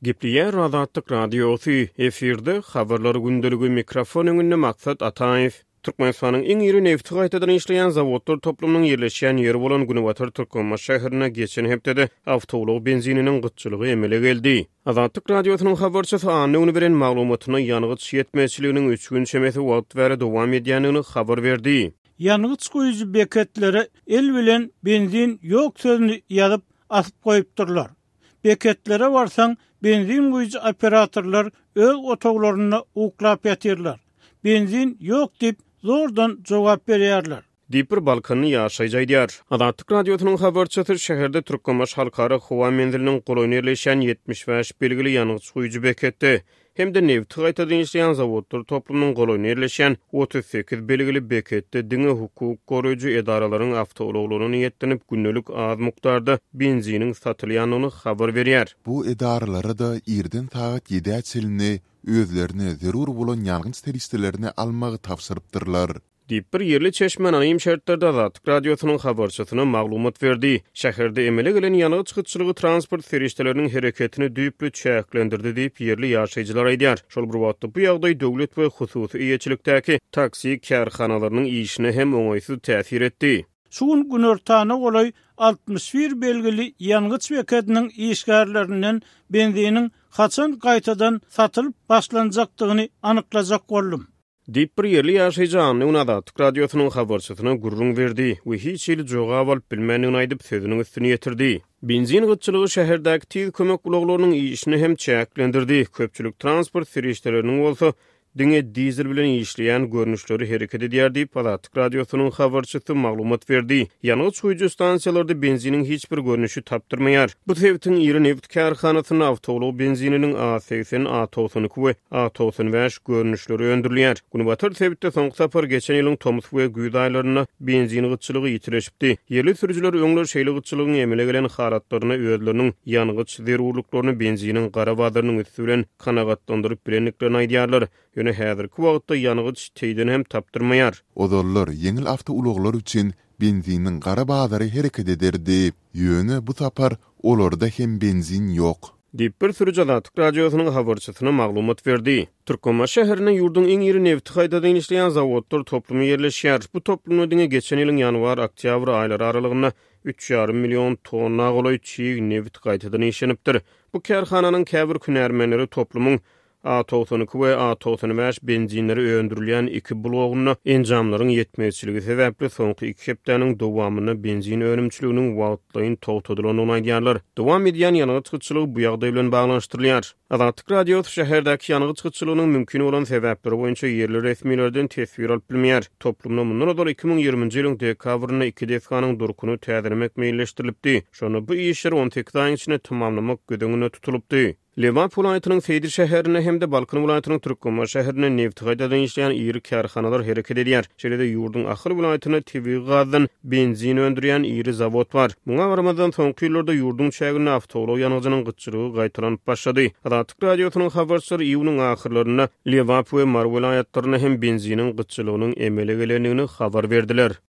Gepleýär Azatlyk Radiosy, efirde Habarlar gündeligi, mikrofon öňünde Maksat Ataýew. Türkmenistanyň iň iri nebti gaýtadan işleýän zawodlar toplumynyň ýerleşýän ýeri bolan Günbatar Türkmenbaşy şäherinde geçen hepdede awtoulag benzininiň gytçylygy emele geldi. Azatlyk Radiosynyň habarçysy anna güni beren maglumatynda ýangyç ýetmezçiliginiň üç gün çemesi wagt bäri dowam edýändigini habar berdi. Ýangyç guýujy beketlere el bilen benzin ýok sözüni ýazyp, asyp goýupdyrlar. Beketlere barsaň, benzin guýujy operatorlar öz otaglarynda uklap ýatyrlar. Benzin ýok diýip, zordan jogap berýärler. Diýip, bir balkanly ýaşaýjy aýdýar. Azatlyk Radiosynyň habarçysy şäherde Türkmenbaşy Halkara howa menziliniň golaýynda ýerleşýän 75 belgili ýangyç guýujy beketde hem-de nebti gaýtadan işleýän zawodlar toplumynyň golaýynda ýerleşýän 38 belgili beketde diňe hukuk goraýjy edaralaryň awtoulaglaryna niýetlenip gündelik az mukdarda benziniň satylýandygyny habar berýär. Bu edaralara-da irden sagat ýedä çenli özlerine zerur bolan ýangyç serişdelerini almagy tabşyrypdyrlar. Diýip, bir ýerli çeşme anonim şertlerde Azatlyk Radiosynyň habarçysyna maglumat berdi. Şäherde emele gelen ýangyç gytçylygy transport serişdeleriniň hereketini düýpli çäklendirdi diýip, ýerli ýaşaýjylar aýdýar. Şol bir wagtda, bu ýagdaý döwlet we hususy eýeçilikdäki taksi kärhanalarynyň işine hem oňaýsyz täsir etdi. Şu gün günortana golaý 61 belgili ýangyç bekediniň işgärlerinden benziniň haçan gaýtadan satylyp başlanjakdygyny anyklajak boldum. Diýip, bir ýerli ýaşaýjy anna güni Azatlyk Radiosynyň habarçysyna gürrüň berdi we hiç hili jogap alyp bilmändigini aýdyp, sözüniň üstüni ýetirdi. Benzin gytçylygy şäherdäki tiz kömek ulaglarynyň işini hem çäklendirdi, köpçülik transport serişdeleriniň bolsa diňe dizel bilen işleýän görnüşleri hereket edýär diýip, Azatlyk Radiosynyň habarçysy maglumat berdi. Ýangyç guýujy stansiýalarda benziniň hiç bir görnüşi tapdyrmaýar. Bu sebitiň iri nebit kärhanasynda awtoulag benzininiň A 80, A 92 we A 95 görnüşleri öndürilýär. Günbatar sebitde soňky sapar geçen ýylyň tomus we güýz aýlarynda benzin gytçylygy ýitileşipdi. Ýerli sürüjiler öňler şeýle gytçylygyň emele gelen halatlarynda özleriniň ýangyç zerurlyklaryny benziniň gara bazarynyň üsti bilen kanagatlandyryp bilendiklerini aýdýarlar. Ýöne häzirki wagtda ýangyç teýden hem tapdyrmaýar. Ozallar ýeňil awtoulaglar üçin benziniň gara bazary hereket ederdi. Ýöne bu sapar olarda hem benzin ýok. Diýip, bir sürüji Azatlyk Radiosynyň habarçysyna maglumat berdi. Türkmenbaşy şäherinde ýurduň iň iri nebti gaýtadan işleýän zawodlar toplumy ýerleşýär. Bu toplumda diňe geçen ýylyň ýanwar-oktýabr aýlary aralygynda üç ýarym million tonna golaý çig nebit gaýtadan işlenipdir. Bu kärhananyň käbir hünärmenleri toplumyň A 92 we A 95 benzinleri öndürilýän iki blogunda enjamlaryň ýetmezçiligi sebäpli soňky iki hepdäniň dowamynda benzin önümçiliginiň wagtlaýyn togtadylandygyny aýdýarlar. Dowam edýän ýangyç gytçylygy bu ýagdaý bilen baglanyşdyrylýar. Azatlyk Radiosy şäherdäki ýangyç gytçylygynyň mümkin bolan sebäpleri boýunça ýerli resmilerden teswir alyp bilmeýär. Toplumda mundan ozal 2020-nji ýylyň dekabrynda iki desganyň durkuny täzelemek meýilleşdirilipdi. Şonda bu işleri on sekiz aýyň içinde tamamlamak göz öňünde tutulypdy. Lebap welaýatynyň Seýdi şäherinde hem-de Balkan welaýatynyň Türkmenbaşy şäherinde nebti gaýtadan işleýän iri kärhanalar hereket edýär. Şeýle-de ýurduň Ahal welaýatynda tebigy gazdan benzin öndürýän iri zawod bar. Muňa garamazdan, soňky ýyllarda ýurduň çäginde awtoulag ýangyjynyň gytçylygy gaýtalanyp başlady. Azatlyk Radiosynyň habarçylary iýunyň ahyrlarynda Lebap we Mary welaýatlarynda hem benziniň gytçylygynyň emele gelendigini habar berdiler.